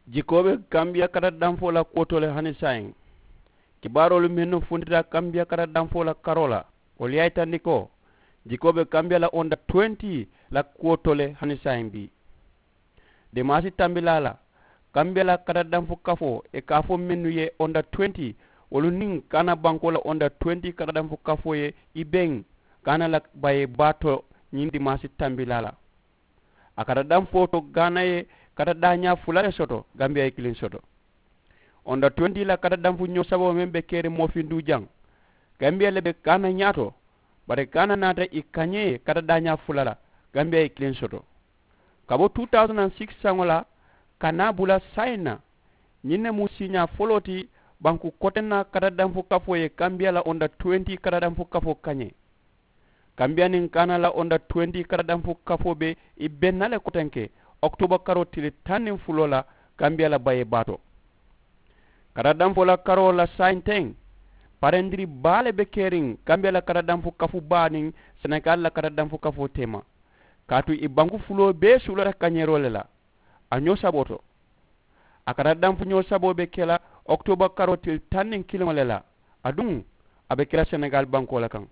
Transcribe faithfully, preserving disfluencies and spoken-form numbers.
Jikoo be kambiya kata danfoo la kuwo to le hani saayiŋ. Kibaaroolu mennu funtita kambiya kata danfoo la karoo la, wolu ye a yitandi ko jikoo be kambiya la onda tuwenti la kuwo to le hani saayiŋ bii. Dimaasi tambilaa la, kambiya la kata danfu kafoo ye kaafoo mennu ye onda tuwenti, wolu niŋ kaana bankoo la onda tuwenti kata danfu kafoo ye i beŋ kaana la bayee baa to. Ñiŋ dimaasi tambilaa la, a kata danfoo to gaana ye kata daañaa fula le soto, gambiya ye kiliŋ soto. Onda tuwenti la kata danfu ñoo saboo meŋ be keriŋ moofinduu jaŋ, gambiya le be kaana ñaato. Bari kaana naata i kañee kata daañaa fula la, gambiya ye kiliŋ soto. Ka bo two thousand and six saŋo la ka naa bula saayiŋ na, ñiŋ ne mu siiñaa foloo ti banku kotenna kata danfu kafoo ye kambiya la onda tuwenti kata danfu kafoo kañee. Kambiya niŋ kaana la onda tuwenti kata danfu kafoo be i benna le kotenke, okitooba karoo tili taŋ niŋ fuloo la, kambiya la bayee baa to. Kata danfoo la karoo la saayiŋ teŋ, parendiri baa le be keriŋ kambiya la kata danfu kafu baa niŋ senegaali la kata danfu kafoo teema. Kaatu i banku fuloo bee suulata kañeeroo le la a ñoo saboo to. A kata danfu ñoo saboo be ke la okitooba karoo tili taŋ niŋ kiliŋo le la, aduŋ a be ke la senegaali bankoo le kaŋ.